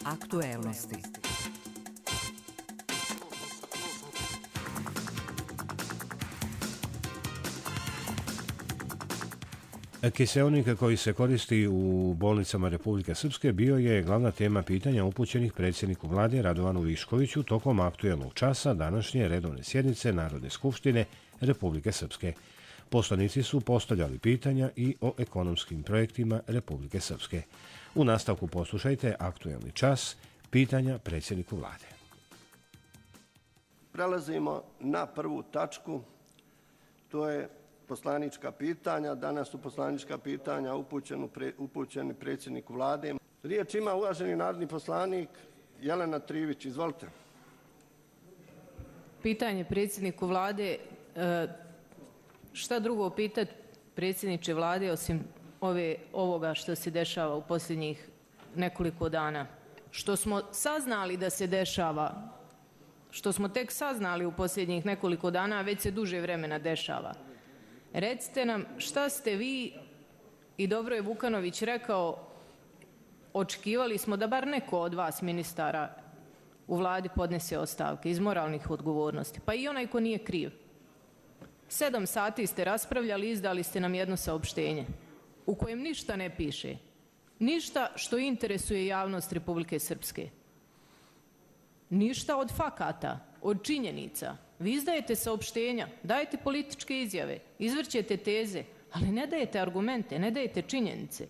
Aktuelnosti. Kiseonik koji se koristi u bolnicama Republike Srpske bio je glavna tema pitanja upućenih predsjedniku vlade Radovanu Viškoviću tokom aktuelnog časa današnje redovne sjednice Narodne skupštine Republike Srpske. Poslanici su postavljali pitanja i o ekonomskim projektima Republike Srpske. U nastavku poslušajte aktuelni čas, pitanja predsjedniku vlade. Prelazimo na prvu tačku, to je poslanička pitanja. Danas su poslanička pitanja upućeni predsjedniku vlade. Riječ ima uvaženi narodni poslanik Jelena Trivić. Izvolite. Pitanje predsjedniku vlade. Šta drugo pitati predsjedniče vlade osim ovoga što se dešava u posljednjih nekoliko dana? Što smo saznali da se dešava, što smo tek saznali u posljednjih nekoliko dana, a već se duže vremena dešava. Recite nam šta ste vi, i dobro je Vukanović rekao, očekivali smo da bar neko od vas ministara u vladi podnese ostavke iz moralnih odgovornosti, pa i onaj ko nije kriv. 7 sati ste raspravljali i izdali ste nam jedno saopštenje u kojem ništa ne piše, ništa što interesuje javnost Republike Srpske, ništa od fakata, od činjenica. Vi izdajete saopštenja, dajete političke izjave, izvrćete teze, ali ne dajete argumente, ne dajete činjenice.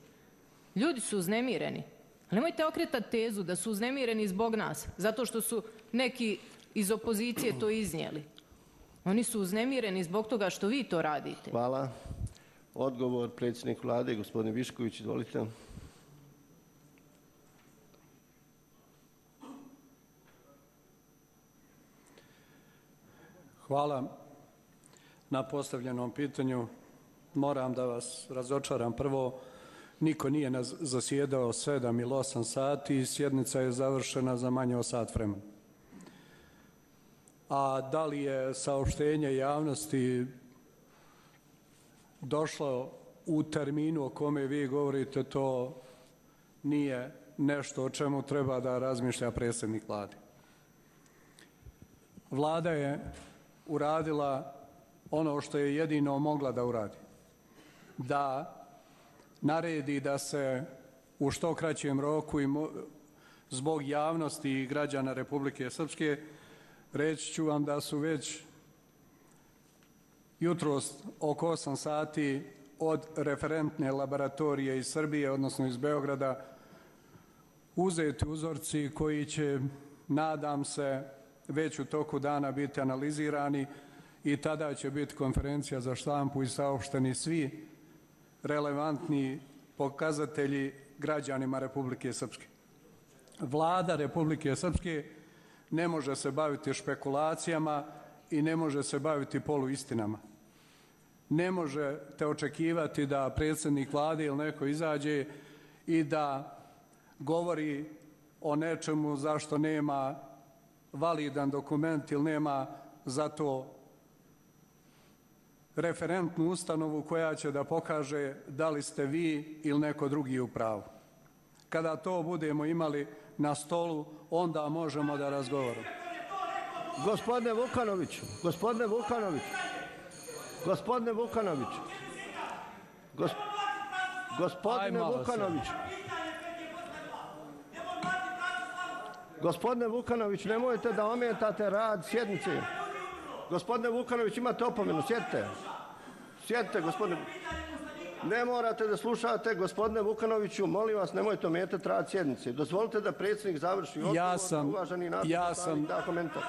Ljudi su uznemireni. Ali nemojte okretati tezu da su uznemireni zbog nas, zato što su neki iz opozicije to iznijeli. Oni su uznemireni zbog toga što vi to radite. Hvala. Odgovor predsjednik vlade, gospodin Višković, izvolite. Hvala na postavljenom pitanju. Moram da vas razočaram. Prvo, niko nije zasjedao 7 ili 8 sati i sjednica je završena za manje od sat vremena. A da li je saopštenje javnosti došlo u terminu o kome vi govorite, to nije nešto o čemu treba da razmišlja predsjednik vlade. Vlada je uradila ono što je jedino mogla da uradi. Da naredi da se u što kraćem roku i zbog javnosti i građana Republike Srpske, reći ću vam da su već jutros oko 8 sati od referentne laboratorije iz Srbije, odnosno iz Beograda, uzeti uzorci koji će, nadam se, već u toku dana biti analizirani i tada će biti konferencija za štampu i saopšteni svi relevantni pokazatelji građanima Republike Srpske. Vlada Republike Srpske ne može se baviti špekulacijama i ne može se baviti poluistinama. Ne možete očekivati da predsjednik vlade ili neko izađe i da govori o nečemu zašto nema validan dokument ili nema za to referentnu ustanovu koja će da pokaže da li ste vi ili neko drugi u pravu. Kada to budemo imali na stolu, onda možemo da razgovaramo. Gospodine Vukanoviću, gospodine Vukanoviću, gospodine Vukanoviću, gospodine Vukanoviću, gospodine Vukanović, nemojte da ometate rad sjednice. Gospodine Vukanović, imate opomenu, sjedite. Sjedite, gospodine. Ne morate da slušate, gospodine Vukanoviću, molim vas, nemojte ometati rad sjednice. Dozvolite da predsjednik završi odgovor, uvaženi narodni poslanik da komentar.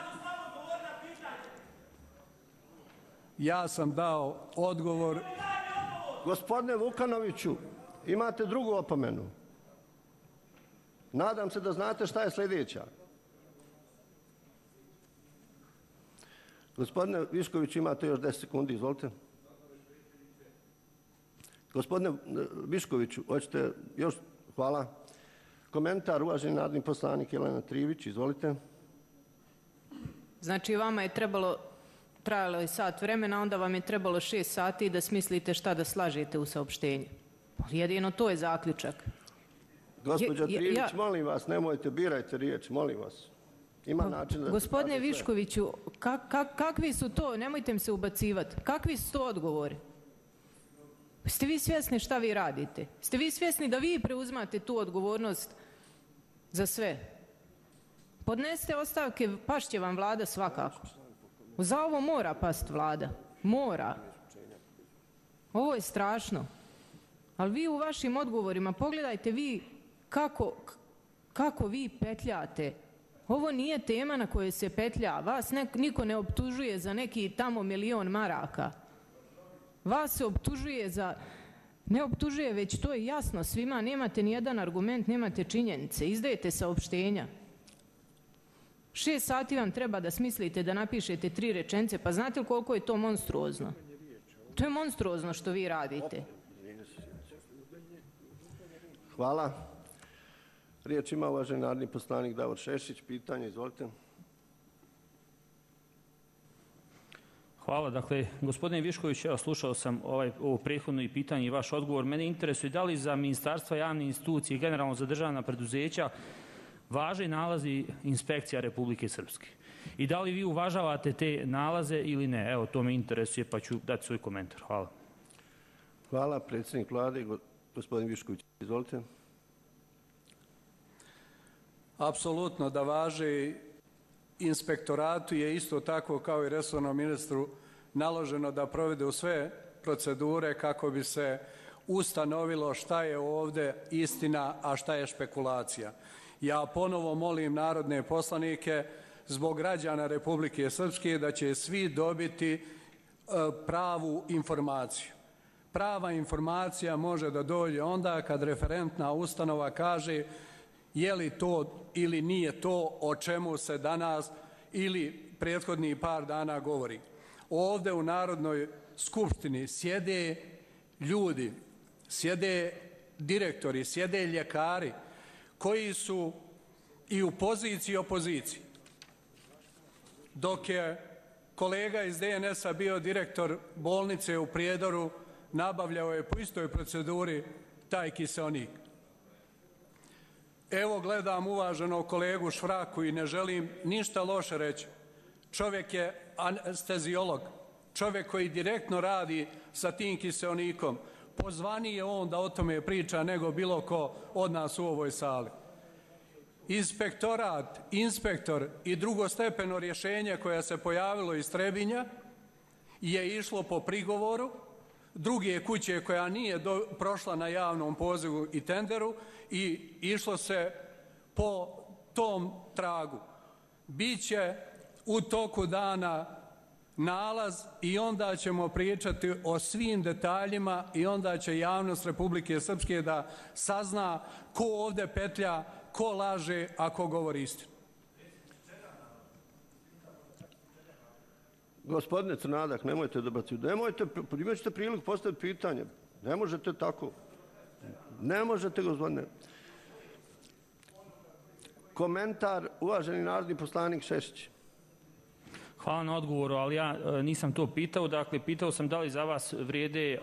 Ja sam dao odgovor. Gospodine Vukanoviću, imate drugu opomenu. Nadam se da znate šta je sljedeća. Gospodine Višković, imate još 10 sekundi, izvolite. Gospodine Viškoviću, hoćete još? Hvala. Komentar, uvaženi narodni poslanik Jelena Trivić, izvolite. Znači, vama je trajalo je sat vremena, onda vam je trebalo 6 sati da smislite šta da slažete u saopštenju. Jedino to je zaključak. Gospođo Trivić, molim vas, nemojte, birajte riječ, molim vas. Ima način da... Gospodine Viškoviću, kakvi su to, nemojte mi se ubacivati, kakvi su to odgovori? Ste vi svjesni šta vi radite? Ste vi svjesni da vi preuzmate tu odgovornost za sve? Podnesite ostavke, pašće vam vlada svakako. Za ovo mora past vlada. Mora. Ovo je strašno. Ali vi u vašim odgovorima, pogledajte vi kako vi petljate. Ovo nije tema na kojoj se petlja. Vas niko ne optužuje za neki tamo 1.000.000 maraka. Vas se optužuje za... Ne optužuje, već to je jasno svima. Nemate ni jedan argument, nemate činjenice. Izdajete saopštenja. 6 sati vam treba da smislite, da napišete 3 rečenice. Pa znate li koliko je to monstruozno? To je monstruozno što vi radite. Hvala. Riječ ima uvaženi narodni poslanik Davor Šešić. Pitanje, izvolite. Hvala. Dakle, gospodine Višković, evo, slušao sam ovo prethodno i pitanje i vaš odgovor. Mene interesuje da li za ministarstva, javne institucije i generalno za državna preduzeća važe nalazi inspekcija Republike Srpske. I da li vi uvažavate te nalaze ili ne? Evo, to me interesuje, pa ću dati svoj komentar. Hvala. Hvala. Predsjednik vlade, gospodin Višković, izvolite. Apsolutno da važi. Inspektoratu je isto tako kao i resornom ministru naloženo da provede u sve procedure kako bi se ustanovilo šta je ovdje istina, a šta je špekulacija. Ja ponovo molim narodne poslanike zbog građana Republike Srpske da će svi dobiti pravu informaciju. Prava informacija može da dođe onda kad referentna ustanova kaže je li to ili nije to o čemu se danas ili prethodnih par dana govori. Ovdje u Narodnoj skupštini sjede ljudi, sjede direktori, sjede ljekari koji su i u poziciji i opoziciji. Dok je kolega iz DNS-a bio direktor bolnice u Prijedoru, nabavljao je po istoj proceduri taj kiseonik. Evo gledam uvaženog kolegu Švraku i ne želim ništa loše reći. Čovjek je anesteziolog, čovjek koji direktno radi sa tim kiseonikom. Pozvaniji je on da o tome priča nego bilo ko od nas u ovoj sali. Inspektorat, inspektor i drugostepeno rješenje koje se pojavilo iz Trebinja je išlo po prigovoru druge kuće koja nije prošla na javnom pozivu i tenderu i išlo se po tom tragu. Biće u toku dana nalaz i onda ćemo pričati o svim detaljima i onda će javnost Republike Srpske da sazna ko ovdje petlja, ko laže, a ko govori istinu. Gospodine Crnadak, nemojte dobaciti. Imat ćete priliku postaviti pitanje. Ne možete tako. Ne možete, gospodine. Komentar, uvaženi narodni poslanik Šešić. Hvala na odgovoru, ali ja nisam to pitao. Dakle, pitao sam da li za vas vrijede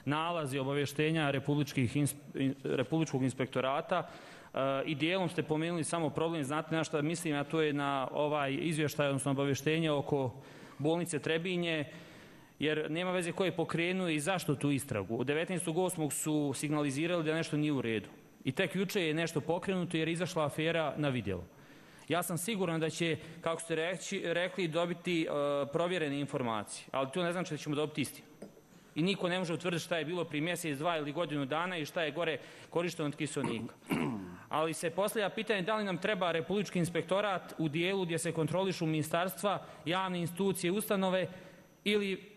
nalazi obavještenja Republičkog inspektorata i dijelom ste pomenuli samo problem, znate na što mislim, a to je na ovaj izvještaj, odnosno obavještenje oko bolnice Trebinje, jer nema veze ko je pokrenuo i zašto tu istragu. Od 19.8. su signalizirali da nešto nije u redu. I tek juče je nešto pokrenuto jer je izašla afera na vidjelo. Ja sam siguran da će, kako ste rekli, dobiti provjerene informacije, ali to ne znači da ćemo dobiti istinu. I niko ne može utvrditi šta je bilo prije mjesec, 2 ili godinu dana i šta je gore korišteno od kiseonika. Ali se postavlja pitanje da li nam treba Republički inspektorat u dijelu gdje se kontrolišu ministarstva, javne institucije, ustanove ili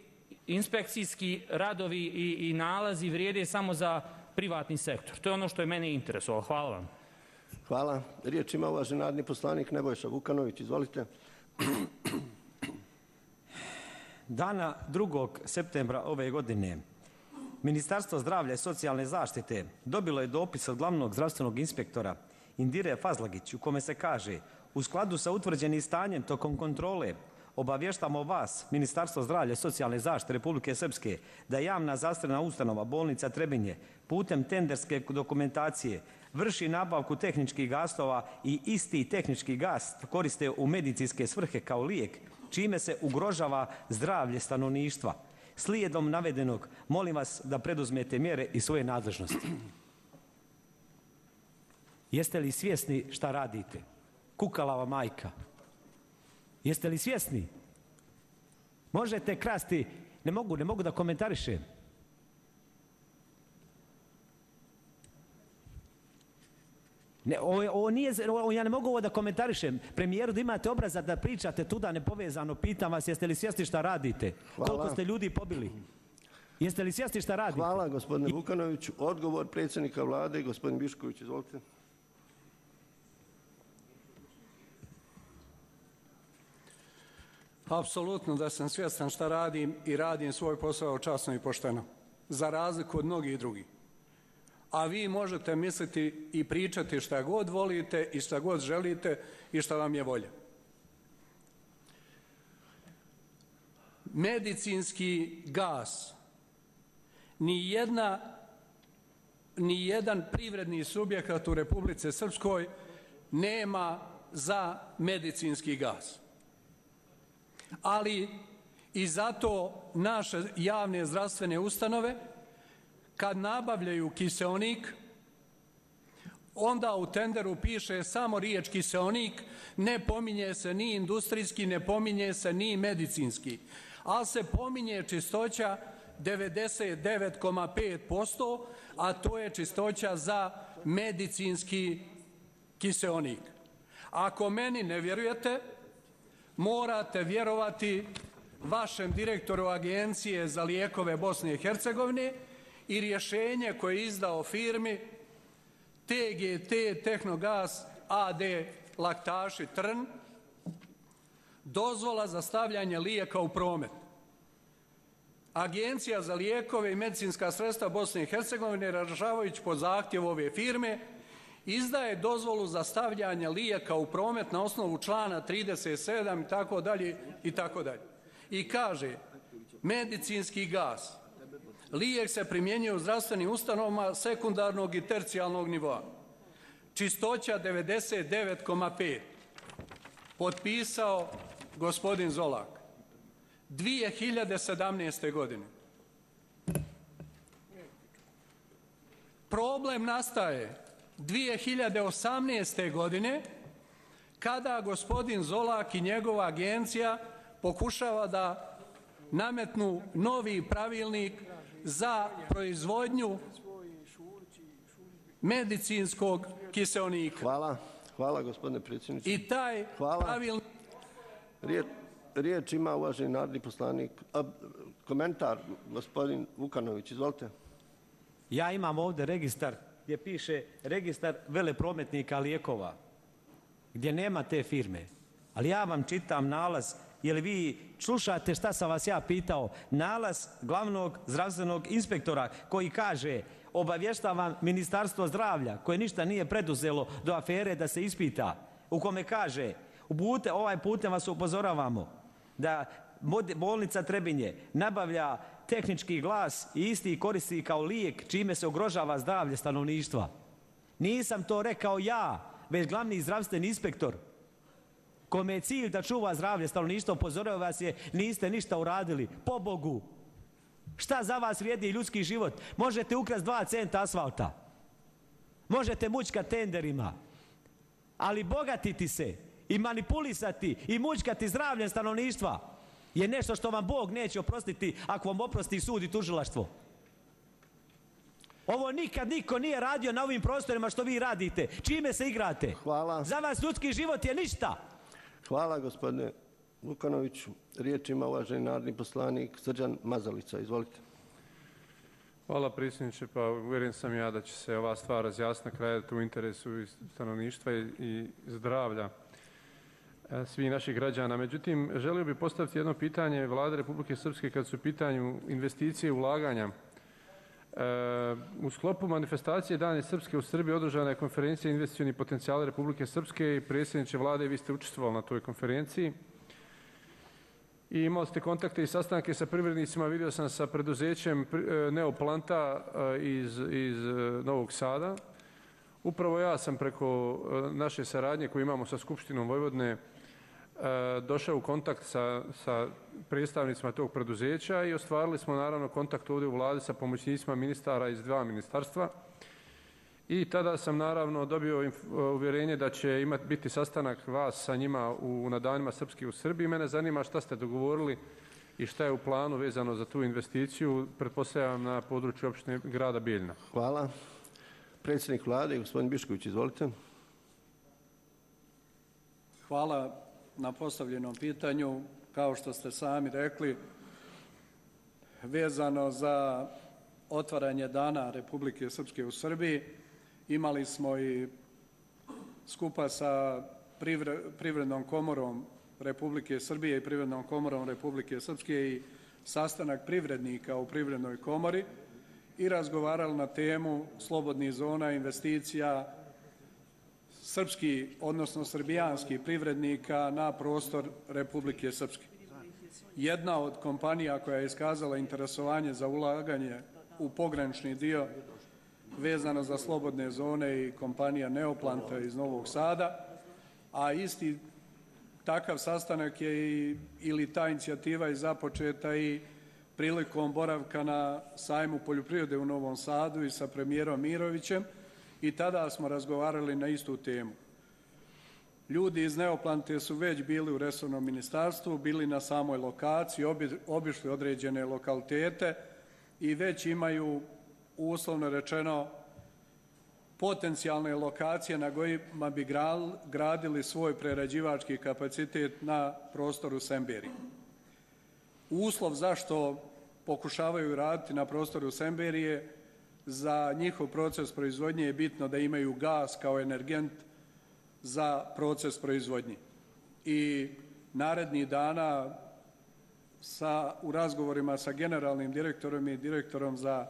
inspekcijski radovi i nalazi vrijede samo za privatni sektor. To je ono što je mene interesovalo. Hvala vam. Hvala. Riječ ima uvaženi narodni poslanik Nebojša Vukanović. Izvolite. Dana 2. septembra ove godine Ministarstvo zdravlja i socijalne zaštite dobilo je dopis od glavnog zdravstvenog inspektora Indire Fazlagić u kome se kaže: u skladu sa utvrđenim stanjem tokom kontrole obavještamo vas, Ministarstvo zdravlja i socijalne zaštite Republike Srpske, da javna zdravstvena ustanova bolnica Trebinje putem tenderske dokumentacije vrši nabavku tehničkih gasova i isti tehnički gas koriste u medicinske svrhe kao lijek, čime se ugrožava zdravlje stanovništva. Slijedom navedenog, molim vas da preduzmete mjere iz svoje nadležnosti. Jeste li svjesni šta radite? Kukalava majka. Jeste li svjesni? Možete krasti, ne mogu da komentarišem. Ja ne mogu ovo da komentarišem. Premijeru, da imate obraza da pričate tuda nepovezano, pitam vas, jeste li svjesni šta radite? Hvala. Koliko ste ljudi pobili? Jeste li svjesni šta radite? Hvala, gospodine Vukanoviću. Odgovor predsjednika vlade, gospodin Bišković, izvolite. Apsolutno da sam svjestan šta radim i radim svoj posao časno i pošteno, za razliku od mnogih drugih. A vi možete misliti i pričati šta god volite i šta god želite i šta vam je volja. Medicinski gas ni jedan privredni subjekat u Republici Srpskoj nema za medicinski gas. Ali i zato naše javne zdravstvene ustanove kad nabavljaju kiseonik, onda u tenderu piše samo riječ kiseonik, ne pominje se ni industrijski, ne pominje se ni medicinski, ali se pominje čistoća 99,5%, a to je čistoća za medicinski kiseonik. Ako meni ne vjerujete, morate vjerovati vašem direktoru Agencije za lijekove Bosne i Hercegovine i rješenje koje je izdao firmi TGT Tehnogas AD Laktaši Trn, dozvola za stavljanje lijeka u promet. Agencija za lijekove i medicinska sredstva Bosne i Hercegovine, razrješavajući po zahtjevu ove firme, izdaje dozvolu za stavljanje lijeka u promet na osnovu člana 37 i tako dalje i tako dalje. I kaže, medicinski gas, lijek se primjenjuje u zdravstvenim ustanovama sekundarnog i tercijalnog nivoa. Čistoća 99,5. Potpisao gospodin Zolak. 2017. godine. Problem nastaje 2018. godine kada gospodin Zolak i njegova agencija pokušava da nametnu novi pravilnik za proizvodnju medicinskog kiseonika. Hvala gospodine predsjedniče. I taj pravilnik... Riječ ima uvaženi narodni poslanik. Komentar, gospodin Vukanović, izvolite. Ja imam ovdje registar gdje piše registar veleprometnika lijekova, gdje nema te firme. Ali ja vam čitam nalaz, jer vi slušate šta sam vas ja pitao, nalaz glavnog zdravstvenog inspektora koji kaže, obavještavam Ministarstvo zdravlja koje ništa nije preduzelo do afere da se ispita, u kome kaže, ovaj putem vas upozoravamo da bolnica Trebinje nabavlja tehnički glas i isti koristi kao lijek, čime se ugrožava zdravlje stanovništva. Nisam to rekao ja, već glavni zdravstveni inspektor, kome je cilj da čuva zdravlje stanovništva, upozorava vas je, niste ništa uradili. Pobogu, šta za vas vrijedi ljudski život? Možete ukrasti 2 centa asfalta, možete mućkati tenderima, ali bogatiti se i manipulisati i mućkati zdravljem stanovništva je nešto što vam Bog neće oprostiti ako vam oprosti sud i tužilaštvo. Ovo nikad niko nije radio na ovim prostorima što vi radite. Čime se igrate? Hvala. Za vas ljudski život je ništa. Hvala gospodine Vukanoviću. Riječ ima uvaženi narodni poslanik Srđan Mazalica. Izvolite. Hvala predsjedniče. Pa uvjeren sam ja da će se ova stvar razjasniti na kraju u interesu stanovništva i zdravlja svih naših građana. Međutim, želio bih postaviti jedno pitanje Vlade Republike Srpske kad su u pitanju investicije i ulaganja. U sklopu manifestacije Dane Srpske u Srbiji održana je konferencija investicioni potencijali Republike Srpske i predsjedniče Vlade, vi ste učestvovali na toj konferenciji. I imali ste kontakte i sastanke sa privrednicima, vidio sam sa preduzećem Neoplanta iz Novog Sada. Upravo ja sam preko naše saradnje koju imamo sa Skupštinom Vojvodine došao u kontakt sa predstavnicima tog preduzeća i ostvarili smo naravno kontakt ovdje u vladi sa pomoćnicima ministara iz 2 ministarstva. I tada sam naravno dobio uvjerenje da će biti sastanak vas sa njima na danima Srpski u Srbiji. Mene zanima šta ste dogovorili i šta je u planu vezano za tu investiciju, pretpostavljam na području opštine grada Bijeljina. Hvala. Predsjednik vlade, gospodin Bišković, izvolite. Hvala na postavljenom pitanju. Kao što ste sami rekli, vezano za otvaranje Dana Republike Srpske u Srbiji, imali smo i skupa sa Privrednom komorom Republike Srbije i Privrednom komorom Republike Srpske i sastanak privrednika u Privrednoj komori i razgovarali na temu slobodnih zona investicija srpski, odnosno srbijanskih privrednika na prostor Republike Srpske. Jedna od kompanija koja je iskazala interesovanje za ulaganje u pogranični dio vezano za slobodne zone i kompanija Neoplanta iz Novog Sada, a isti takav sastanak je ili ta inicijativa je započeta i prilikom boravka na sajmu poljoprivrede u Novom Sadu i sa premijerom Mirovićem i tada smo razgovarali na istu temu. Ljudi iz Neoplante su već bili u resornom ministarstvu, bili na samoj lokaciji, obišli određene lokalitete i već imaju, uslovno rečeno, potencijalne lokacije na kojima bi gradili svoj prerađivački kapacitet na prostoru Semberije. Uslov zašto pokušavaju raditi na prostoru Semberije, za njihov proces proizvodnje je bitno da imaju gas kao energent za proces proizvodnje. I narednih dana u razgovorima sa generalnim direktorom i direktorom za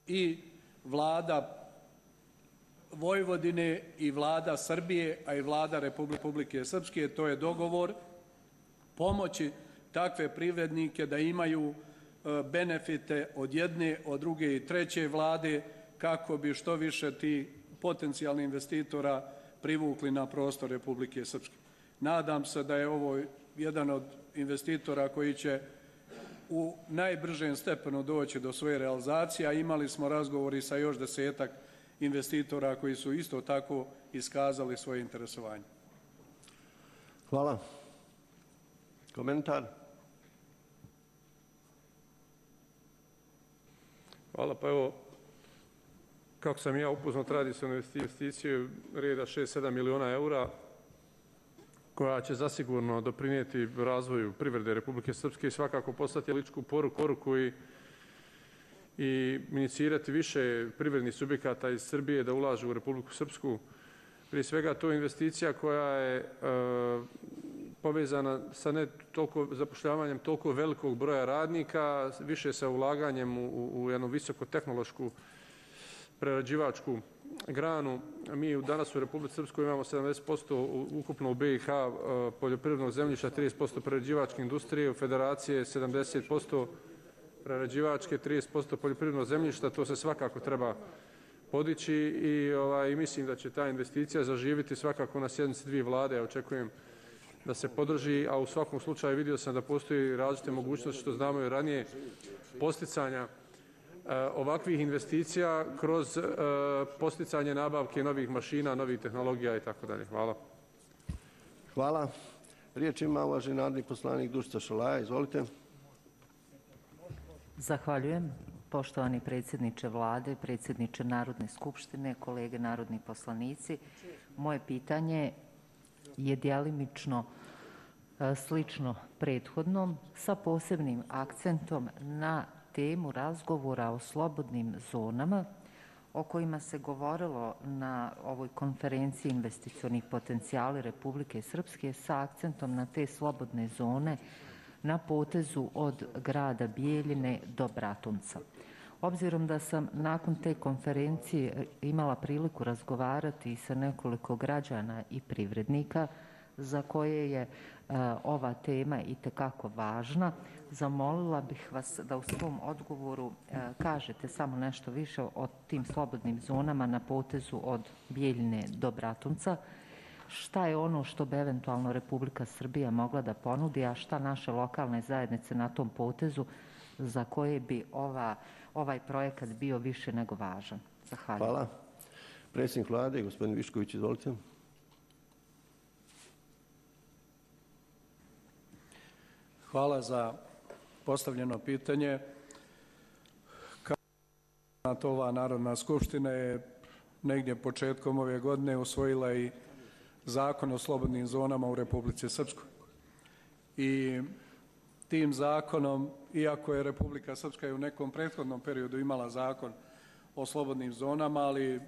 i vlada Vojvodine i vlada Srbije, a i vlada Republike Srpske, to je dogovor pomoći takve privrednike da imaju benefite od jedne, od druge i treće vlade kako bi što više ti potencijalni investitora privukli na prostor Republike Srpske. Nadam se da je ovo jedan od investitora koji će u najbržem stepenu doći do svoje realizacije, a imali smo razgovori sa još 10-ak investitora koji su isto tako iskazali svoje interesovanje. Hvala. Komentar? Hvala, pa evo, kako sam ja upoznat, radi se o investiciju reda 6-7 miliona eura koja će zasigurno doprinijeti razvoju privrede Republike Srpske i svakako poslati političku poruku i inicirati više privrednih subjekata iz Srbije da ulažu u Republiku Srpsku. Prije svega to je investicija koja je povezana sa ne toliko zapošljavanjem toliko velikog broja radnika, više sa ulaganjem u jednu visokotehnološku prerađivačku granu. Mi danas u Republici Srpskoj imamo 70% ukupno u BiH poljoprivrednog zemljišta, 30% prerađivačke industrije, u Federacije 70% prerađivačke, 30% poljoprivrednog zemljišta. To se svakako treba podići i mislim da će ta investicija zaživjeti svakako na sjednici 2 vlade. Ja očekujem da se podrži, a u svakom slučaju vidio sam da postoji različite mogućnosti, što znamo i ranije, posticanja ovakvih investicija kroz posticanje nabavke novih mašina, novih tehnologija i tako dalje. Hvala. Hvala. Riječ ima uvaženi narodni poslanik Dušica Šolaja. Izvolite. Zahvaljujem. Poštovani predsjedniče vlade, predsjedniče Narodne skupštine, kolege narodni poslanici. Moje pitanje je djelimično slično prethodnom sa posebnim akcentom na temu razgovora o slobodnim zonama o kojima se govorilo na ovoj konferenciji investicionih potencijali Republike Srpske sa akcentom na te slobodne zone na potezu od grada Bijeljine do Bratunca. Obzirom da sam nakon te konferencije imala priliku razgovarati i sa nekoliko građana i privrednika za koje je ova tema itekako važna, zamolila bih vas da u svom odgovoru kažete samo nešto više o tim slobodnim zonama na potezu od Bijeljine do Bratunca. Šta je ono što bi eventualno Republika Srbija mogla da ponudi, a šta naše lokalne zajednice na tom potezu za koje bi ovaj projekat bio više nego važan? Zahvaljujem. Hvala. Predsjednik Vlade, gospodin Višković, izvolite. Hvala za postavljeno pitanje. Kao ova Narodna skupština je negdje početkom ove godine usvojila i Zakon o slobodnim zonama u Republici Srpskoj. I tim zakonom, iako je Republika Srpska i u nekom prethodnom periodu imala zakon o slobodnim zonama, ali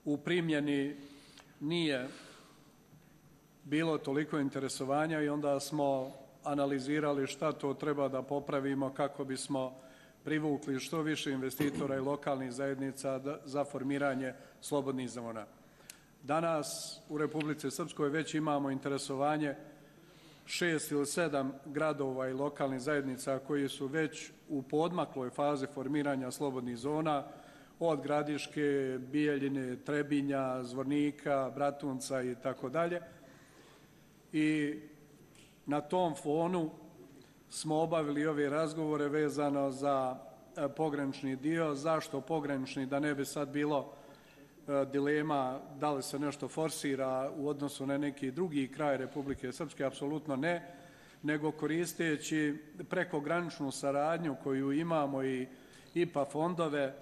u primjeni nije bilo toliko interesovanja i onda smo analizirali šta to treba da popravimo kako bismo privukli što više investitora i lokalnih zajednica za formiranje slobodnih zona. Danas u Republici Srpskoj već imamo interesovanje 6 ili 7 gradova i lokalnih zajednica koji su već u poodmakloj fazi formiranja slobodnih zona, od Gradiške, Bijeljine, Trebinja, Zvornika, Bratunca i tako dalje. I na tom fonu smo obavili ove razgovore vezano za pogranični dio. Zašto pogranični? Da ne bi sad bilo dilema da li se nešto forsira u odnosu na neki drugi kraj Republike Srpske, apsolutno ne, nego koristeći prekograničnu saradnju koju imamo i IPA fondove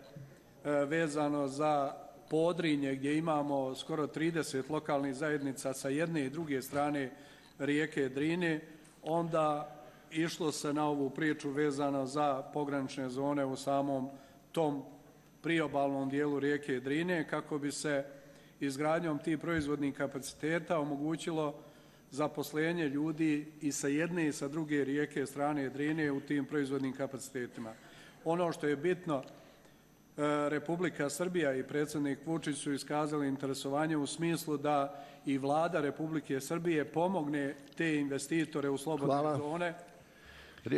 vezano za Podrinje gdje imamo skoro 30 lokalnih zajednica sa jedne i druge strane rijeke Drine, onda išlo se na ovu priču vezano za pogranične zone u samom tom priobalnom dijelu rijeke Drine kako bi se izgradnjom tih proizvodnih kapaciteta omogućilo zaposlenje ljudi i sa jedne i sa druge rijeke strane Drine u tim proizvodnim kapacitetima. Ono što je bitno, Republika Srbija i predsjednik Vučić su iskazali interesovanje u smislu da i Vlada Republike Srbije pomogne te investitore u slobodne zone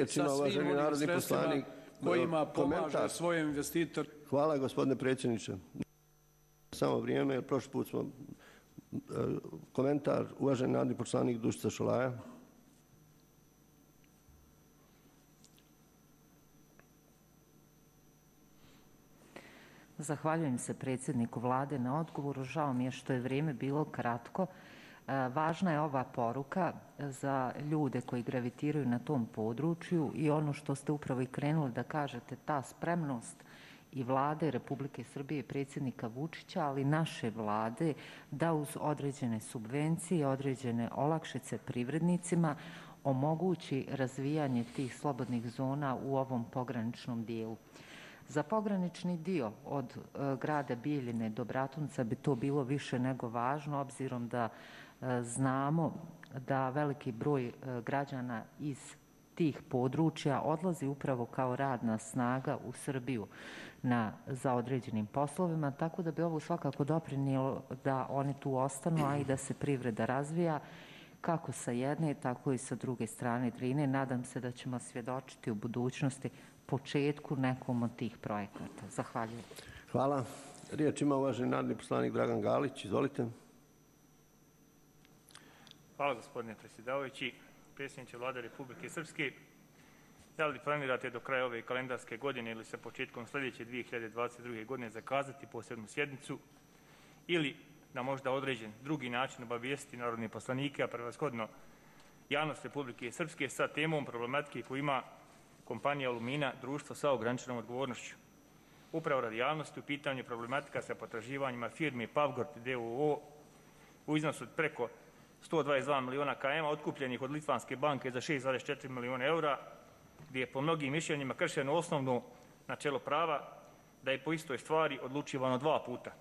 sa svim onim sredstvima kojima pomaže svoje investitore. Hvala, gospodine predsjedniče. Samo vrijeme, jer prošli put smo komentar, uvaženi narodni poslanik Dušica Šolaja. Zahvaljujem se predsjedniku Vlade na odgovoru. Žao mi je što je vrijeme bilo kratko. Važna je ova poruka za ljude koji gravitiraju na tom području i ono što ste upravo i krenuli da kažete, ta spremnost i Vlade Republike Srbije i predsjednika Vučića, ali naše Vlade da uz određene subvencije, određene olakšice privrednicima omogući razvijanje tih slobodnih zona u ovom pograničnom dijelu. Za pogranični dio od grada Bijeljine do Bratunca bi to bilo više nego važno, obzirom da znamo da veliki broj građana iz tih područja odlazi upravo kao radna snaga u Srbiju za određenim poslovima, tako da bi ovo svakako doprinijelo da oni tu ostanu, a i da se privreda razvija kako sa jedne, tako i sa druge strane Drine. Nadam se da ćemo svjedočiti u budućnosti početku nekom od tih projekata. Zahvaljujem. Hvala. Riječ ima uvaženi narodni poslanik Dragan Galić. Izvolite. Hvala, gospodine predsjedavajući. Predsjedniče Vlade Republike Srpske, da li planirate do kraja ove kalendarske godine ili sa početkom sljedeće 2022. godine zakazati posebnu sjednicu ili na možda određen drugi način obavijestiti narodne poslanike, a prevashodno javnost Republike Srpske sa temom problematike koju ima kompanija Alumina, društvo sa ograničenom odgovornošću. Upravo radi javnosti u pitanju problematika sa potraživanjima firme Pavgort d.o.o. u iznosu od preko 122 miliona km otkupljenih od Litvanske banke za 6,4 miliona eura, gdje je po mnogim mišljenjima kršeno osnovno načelo prava da je po istoj stvari odlučivano 2 puta.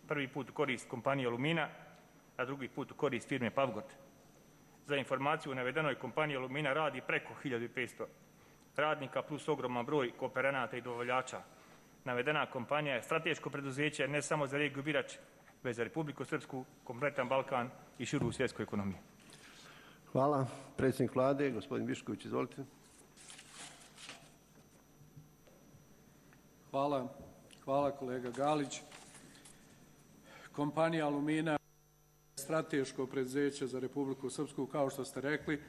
Prvi put u korist kompanije Alumina, a drugi put u korist firme Pavgort. Za informaciju, u navedenoj kompaniji Alumina radi preko 1500 radnika plus ogroman broj kooperanata i dobavljača. Navedena kompanija je strateško preduzeće ne samo za regiju Birač, već za Republiku Srpsku, kompletan Balkan i širu svjetsku ekonomiju. Hvala. Predsjednik Vlade, gospodin Višković, izvolite. Hvala kolega Galić. Kompanija Alumina je strateško preduzeće za Republiku Srpsku, kao što ste rekli,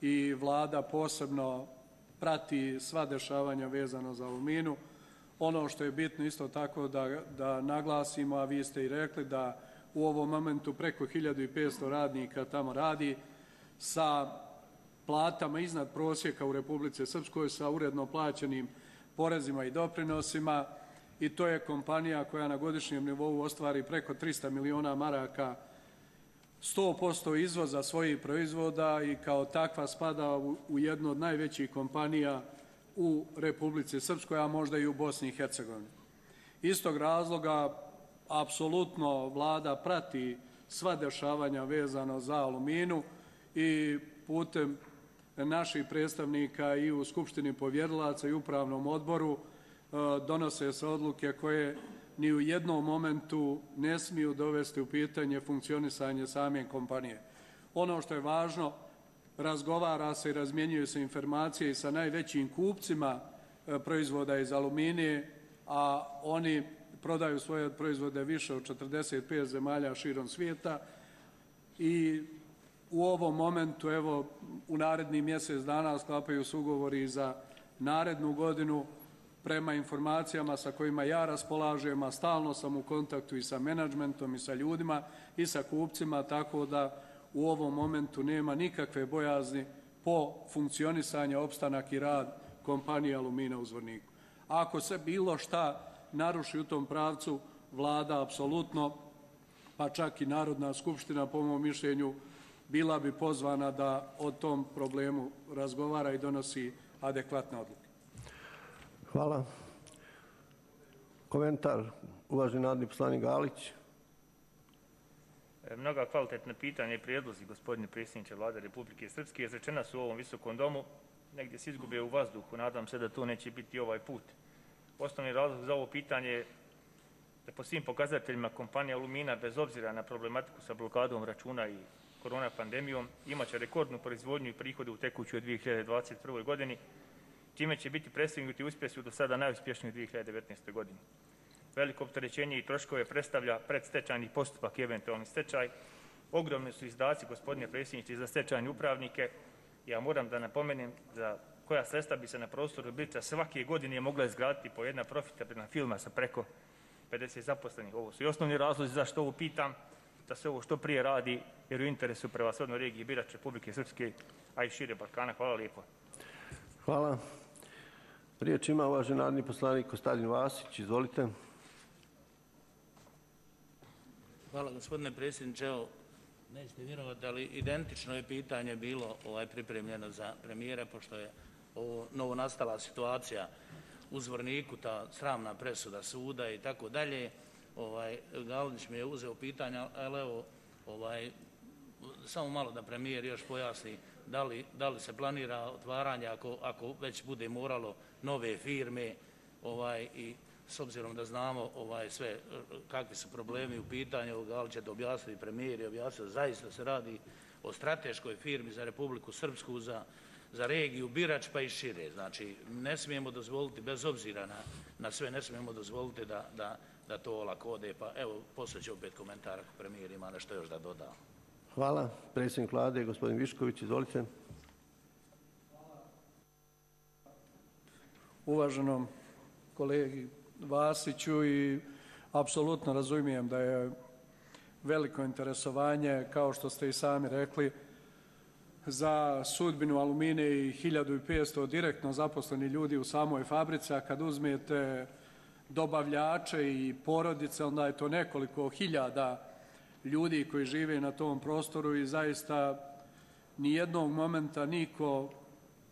i Vlada posebno prati sva dešavanja vezano za Aluminu. Ono što je bitno isto tako da naglasimo, a vi ste i rekli, da u ovom momentu preko 1500 radnika tamo radi sa platama iznad prosjeka u Republici Srpskoj, sa uredno plaćenim porezima i doprinosima, i to je kompanija koja na godišnjem nivou ostvari preko 300 miliona maraka 100% izvoza svojih proizvoda i kao takva spada u jednu od najvećih kompanija u Republici Srpskoj, a možda i u Bosni i Hercegovini. Iz tog razloga apsolutno Vlada prati sva dešavanja vezano za Aluminu i putem naših predstavnika i u Skupštini povjerilaca i upravnom odboru donose se odluke koje ni u jednom momentu ne smiju dovesti u pitanje funkcionisanje same kompanije. Ono što je važno, razgovara se i razmjenjuju se informacije i sa najvećim kupcima proizvoda iz aluminije, a oni prodaju svoje proizvode više od 45 zemalja širom svijeta i u ovom momentu, evo, u narednih mjesec dana sklapaju se ugovori za narednu godinu. Prema informacijama sa kojima ja raspolažem, a stalno sam u kontaktu i sa menadžmentom i sa ljudima i sa kupcima, tako da u ovom momentu nema nikakve bojazni po funkcionisanju, opstanak i rad kompanije Alumina u Zvorniku. Ako se bilo šta naruši u tom pravcu, Vlada apsolutno, pa čak i Narodna skupština, po mom mišljenju, bila bi pozvana da o tom problemu razgovara i donosi adekvatne odluke. Hvala. Komentar, uvaženi narodni poslanik Galić. Mnoga kvalitetna pitanja i prijedlozi, gospodine predsjedniče Vlade Republike Srpske, izrečena su u ovom visokom domu, negdje se izgube u vazduhu. Nadam se da to neće biti ovaj put. Osnovni razlog za ovo pitanje je da po svim pokazateljima kompanija Alumina, bez obzira na problematiku sa blokadom računa i korona pandemijom, imaće rekordnu proizvodnju i prihode u tekućoj 2021. godini, čime će biti prestignuti uspjesi u do sada najuspješnijoj 2019. godini. Veliko opterećenje i troškove predstavlja predstečajni postupak i eventualni stečaj. Ogromni su izdaci, gospodine predsjedniče, za stečajne upravnike. Ja moram da napomenem za koja sredstva bi se na prostoru Birača svake godine mogla izgraditi po jedna profitabilna firma sa preko 50 zaposlenih. Ovo su i osnovni razlozi zašto ovo pitam, da se ovo što prije radi, jer u interesu prevashodno regiji Birač, Republike Srpske, a i šire Balkana. Hvala lijepo. Hvala. Riječ ima uvaženi narodni poslanik Kostadin Vasić. Izvolite. Hvala, gospodine predsjedniče. Evo, nećete vjerovati, ali identično je pitanje bilo pripremljeno za premijera, pošto je ovo novonastala situacija u Zvorniku, ta sramna presuda suda i tako dalje. Galić mi je uzeo pitanja, ali evo, samo malo da premijer još pojasni da li se planira otvaranje ako već bude moralo nove firme i s obzirom da znamo sve kakvi su problemi u pitanju, Galić će to objasniti, premijer je objasnio, zaista se radi o strateškoj firmi za Republiku Srpsku, za regiju Birač pa i šire. Znači, ne smijemo dozvoliti, bez obzira na sve, ne smijemo dozvoliti da to olako ode. Pa evo, poslije će opet komentar ako premijer ima nešto još da doda. Hvala. Predsjednik Vlade, gospodin Višković, izvolite. Uvaženom kolegi Vasiću, i apsolutno razumijem da je veliko interesovanje, kao što ste i sami rekli, za sudbinu Alumine i 1500 direktno zaposleni ljudi u samoj fabrici, a kad uzmete dobavljače i porodice, onda je to nekoliko hiljada ljudi koji žive na tom prostoru i zaista nijednog momenta niko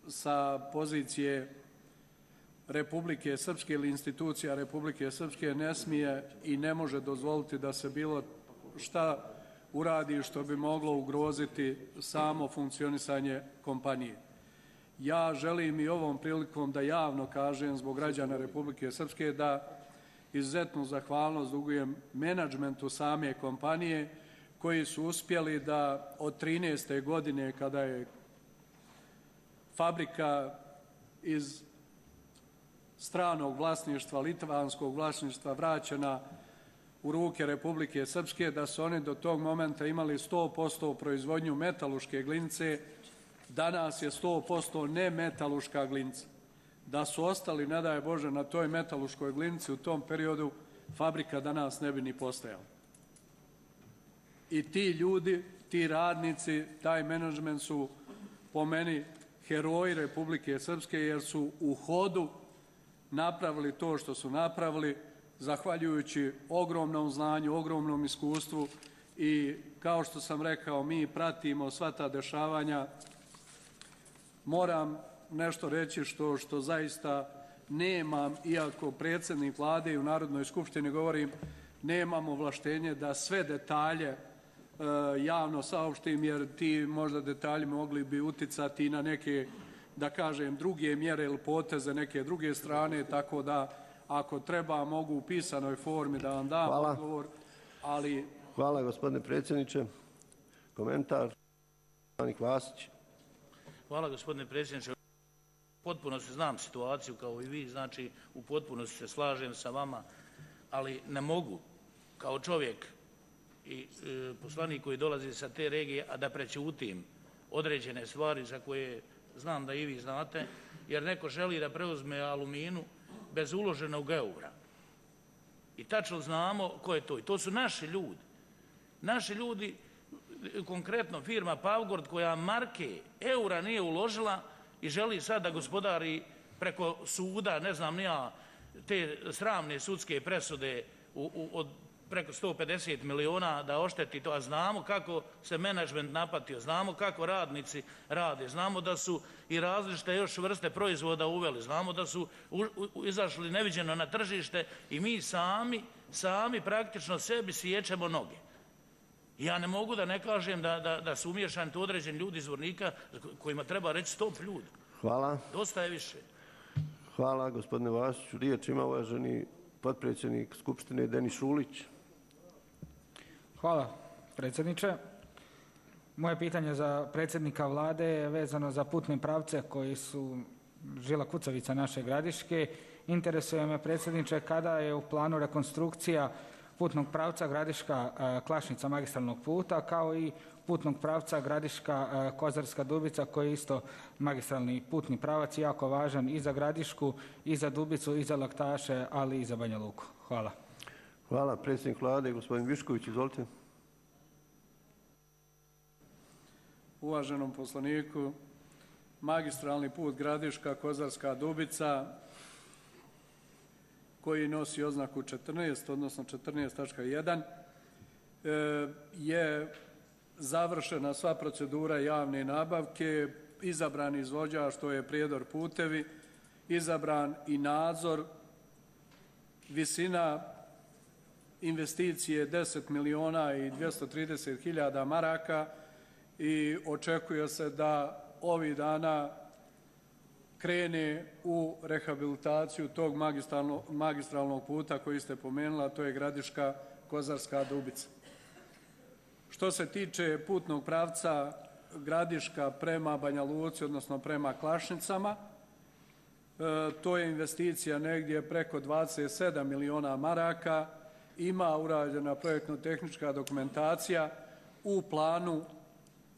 sa pozicije Republike Srpske ili institucija Republike Srpske ne smije i ne može dozvoliti da se bilo šta uradi što bi moglo ugroziti samo funkcionisanje kompanije. Ja želim i ovom prilikom da javno kažem zbog građana Republike Srpske da izuzetnu zahvalnost dugujem menadžmentu same kompanije koji su uspjeli da od 13. godine kada je fabrika iz stranog vlasništva, litvanskog vlasništva vraćena u ruke Republike Srpske, da su oni do tog momenta imali 100% proizvodnju metaluške glinice, danas je 100% nemetaluška glinica. Da su ostali, ne daj Bože, na toj metaluškoj glinici u tom periodu, fabrika danas ne bi ni postojala. I ti ljudi, ti radnici, taj menadžment su po meni heroji Republike Srpske jer su u hodu napravili to što su napravili zahvaljujući ogromnom znanju, ogromnom iskustvu i kao što sam rekao, mi pratimo sva ta dešavanja. Moram nešto reći što zaista nemam, iako predsjednik vlade i u Narodnoj skupštini govorim, nemam ovlaštenje da sve detalje javno saopštim, jer ti možda detalji mogli bi uticati na neke, da kažem, druge mjere ili poteze neke druge strane, tako da ako treba mogu u pisanoj formi da vam dam odgovor, ali... Hvala, gospodine predsjedniče. Komentar. Vasić. Hvala, gospodine predsjedniče. Potpuno se znam situaciju kao i vi, znači u potpunosti se slažem sa vama, ali ne mogu kao čovjek i poslanik koji dolazi sa te regije, a da prećutim određene stvari za koje znam da i vi znate, jer neko želi da preuzme Aluminu bez uloženog eura. I tačno znamo ko je to. I to su naši ljudi. Naši ljudi, konkretno firma Pavgord, koja marke eura nije uložila i želi sad da gospodari preko suda, ne znam ni ja, te sramne sudske presude od preko 150 miliona da ošteti to, a znamo kako se menadžment napatio, znamo kako radnici rade, znamo da su i različite još vrste proizvoda uveli, znamo da su izašli neviđeno na tržište i mi sami praktično sebi siječemo noge. Ja ne mogu da ne kažem da su umješani tu određeni ljudi iz Zvornika kojima treba reći stop ljudi. Hvala. Dosta je više. Hvala, gospodine Vasiću. Riječ ima uvaženi potpredsjednik Skupštine Denis Šulić. Hvala, predsjedniče. Moje pitanje za predsjednika vlade je vezano za putne pravce koji su žila kucavica naše Gradiške. Interesuje me, predsjedniče, kada je u planu rekonstrukcija putnog pravca Gradiška-Klašnica magistralnog puta, kao i putnog pravca Gradiška-Kozarska Dubica, koji je isto magistralni putni pravac, jako važan i za Gradišku, i za Dubicu, i za Laktaše, ali i za Banja Luku. Hvala. Hvala. Predsjednik vlade, gospodin Višković, izvolite. Uvaženom poslaniku, magistralni put Gradiška-Kozarska Dubica, koji nosi oznaku 14, odnosno 14.1, je završena sva procedura javne nabavke, izabran izvođač, to je Prijedor putevi, izabran i nadzor, visina investicije 10 miliona i 230 hiljada maraka i očekuje se da ovih dana krene u rehabilitaciju tog magistralnog puta koji ste pomenuli, a to je Gradiška-Kozarska Dubica. Što se tiče putnog pravca Gradiška prema Banja Luci, odnosno prema Klašnicama, to je investicija negdje preko 27 miliona maraka, ima urađena projektno-tehnička dokumentacija u planu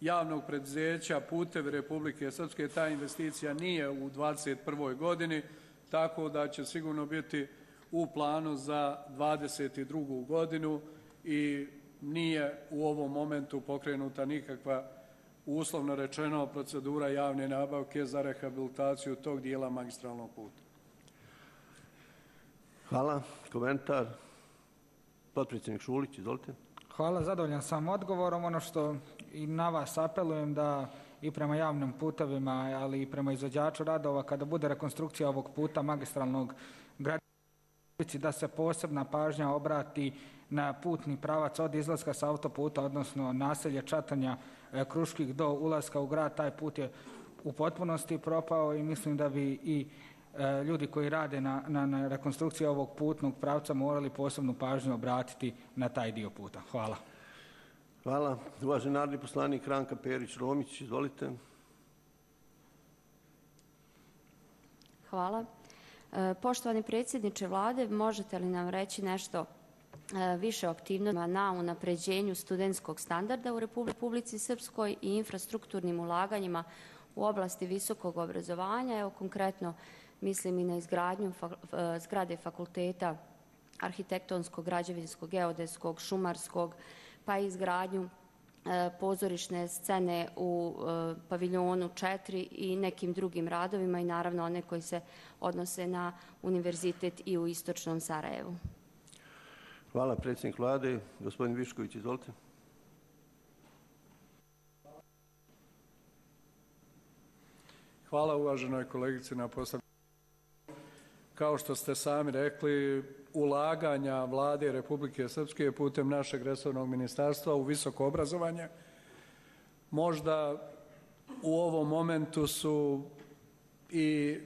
javnog preduzeća Putevi Republike Srpske. Ta investicija nije u 2021. godini, tako da će sigurno biti u planu za 2022. godinu i nije u ovom momentu pokrenuta nikakva, uslovno rečeno, procedura javne nabavke za rehabilitaciju tog dijela magistralnog puta. Hvala. Komentar. Potpredsjednik Šulić, izvolite. Hvala, zadovoljan sam odgovorom. Ono što i na vas apelujem da i prema javnim putevima, ali i prema izvođaču radova, kada bude rekonstrukcija ovog puta magistralnog Gradiška, da se posebna pažnja obrati na putni pravac od izlaska sa autoputa, odnosno naselje Čatanja, Kruških do ulaska u grad. Taj put je u potpunosti propao i mislim da bi i ljudi koji rade na rekonstrukciji ovog putnog pravca morali posebnu pažnju obratiti na taj dio puta. Hvala. Hvala. Uvaženi narodni poslanik Ranka Perić-Romić, izvolite. Hvala. Poštovani predsjedniče Vlade, možete li nam reći nešto više o aktivnostima na unapređenju studentskog standarda u Republici Srpskoj i infrastrukturnim ulaganjima u oblasti visokog obrazovanja? Evo konkretno mislim i na izgradnju zgrade fakulteta arhitektonskog, građevinskog, geodetskog, šumarskog, pa i izgradnju pozorišne scene u paviljonu 4 i nekim drugim radovima i naravno one koji se odnose na univerzitet i u istočnom Sarajevu. Hvala. Predsjednik Vlade, gospodin Višković, izvolite. Hvala uvaženoj kolegici na postavljanju. Kao što ste sami rekli, ulaganja Vlade Republike Srpske putem našeg resornog ministarstva u visoko obrazovanje možda u ovom momentu su i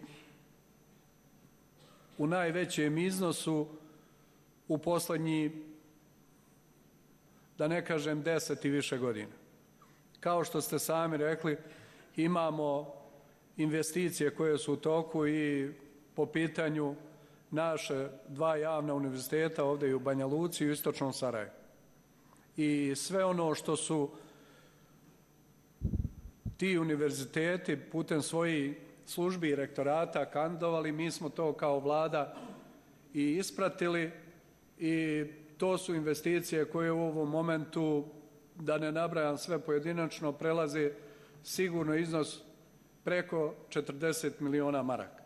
u najvećem iznosu u posljednji, da ne kažem 10 i više godina. Kao što ste sami rekli, imamo investicije koje su u toku i po pitanju naše 2 javna univerziteta ovdje i u Banja Luci i u istočnom Sarajevu. I sve ono što su ti univerziteti putem svojih službi i rektorata kandidovali, mi smo to kao Vlada i ispratili i to su investicije koje u ovom momentu, da ne nabrajam sve pojedinačno, prelaze sigurno iznos preko 40 miliona maraka.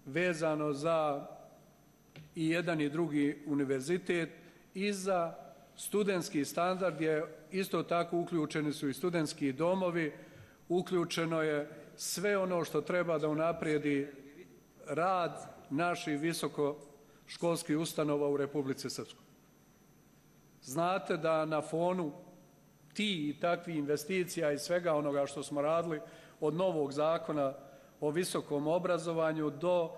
Vezano za i jedan i drugi univerzitet i za studentski standard je isto tako uključeni su i studentski domovi, uključeno je sve ono što treba da unaprijedi rad naših visokoškolskih ustanova u Republici Srpskoj. Znate da na fonu ti i takvih investicija i svega onoga što smo radili od novog zakona o visokom obrazovanju do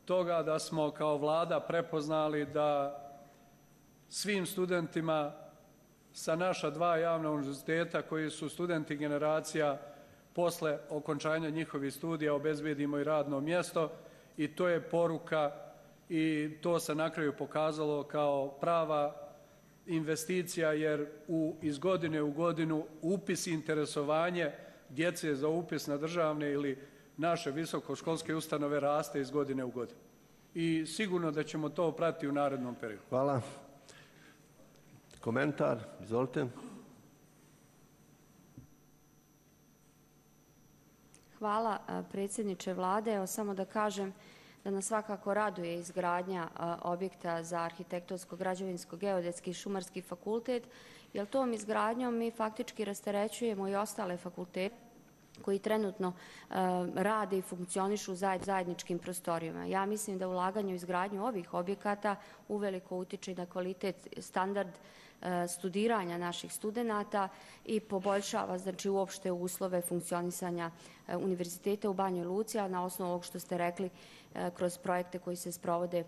toga da smo kao Vlada prepoznali da svim studentima sa naša 2 javna univerziteta koji su studenti generacija posle okončanja njihovih studija obezbedimo i radno mjesto i to je poruka i to se na kraju pokazalo kao prava investicija jer iz godine u godinu upis i interesovanje djece za upis na državne ili naše visokoškolske ustanove raste iz godine u godinu. I sigurno da ćemo to pratiti u narednom periodu. Hvala. Komentar, izvolite. Hvala predsjedniče Vlade. Evo samo da kažem da nas svakako raduje izgradnja objekta za arhitektonsko, građevinsko, geodetski i šumarski fakultet, jer tom izgradnjom mi faktički rasterećujemo i ostale fakultete koji trenutno rade i funkcionišu u zajedničkim prostorijama. Ja mislim da ulaganje u izgradnju ovih objekata uveliko utiče na kvalitet, standard studiranja naših studenata i poboljšava znači uopšte uslove funkcionisanja univerziteta u Banjoj Luci, a na osnovu ovog što ste rekli kroz projekte koji se sprovode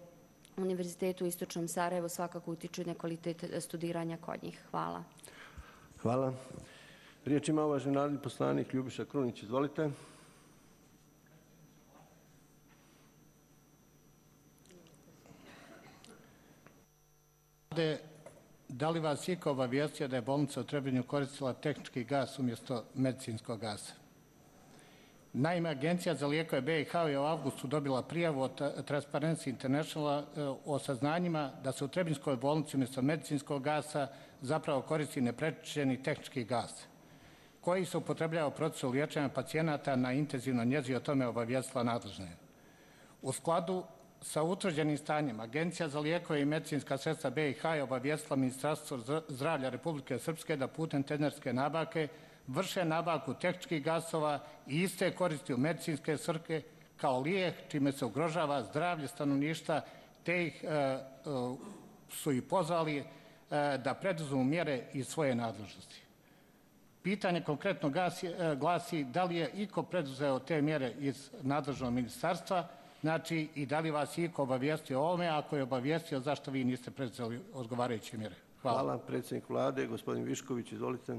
u Univerzitetu u istočnom Sarajevu svakako utiču na kvalitet studiranja kod njih. Hvala. Hvala. Riječ ima uvaženi narodni poslanik Ljubiša Krunić. Izvolite. Da li vas iko obavijestio da je bolnica u Trebinju koristila tehnički gas umjesto medicinskog gasa? Naime, Agencija za lijekove BiH je u avgustu dobila prijavu od Transparency Internationala o saznanjima da se u Trebinjskoj bolnici umjesto medicinskog gasa zapravo koristi neprečišćeni tehnički gas koji se upotrebljava u procesu liječenja pacijenata na intenzivnoj njezi, o tome obavijestila nadležne. U skladu sa utvrđenim stanjem, Agencija za lijekove i medicinska sredstva BiH je obavijestila Ministarstvo zdravlja Republike Srpske da putem tenderske nabavke vrše nabavku tehničkih gasova i iste koristi u medicinske svrhe kao lijek, čime se ugrožava zdravlje stanovništva, te ih su i pozvali da preduzmu mjere iz svoje nadležnosti. Pitanje konkretno glasi da li je iko preduzeo te mjere iz nadležnog ministarstva, znači i da li vas iko obavijestio o ovome, ako je obavijestio zašto vi niste preduzeli odgovarajuće mjere? Hvala. Hvala. Predsjednik Vlade, gospodin Višković, izvolite.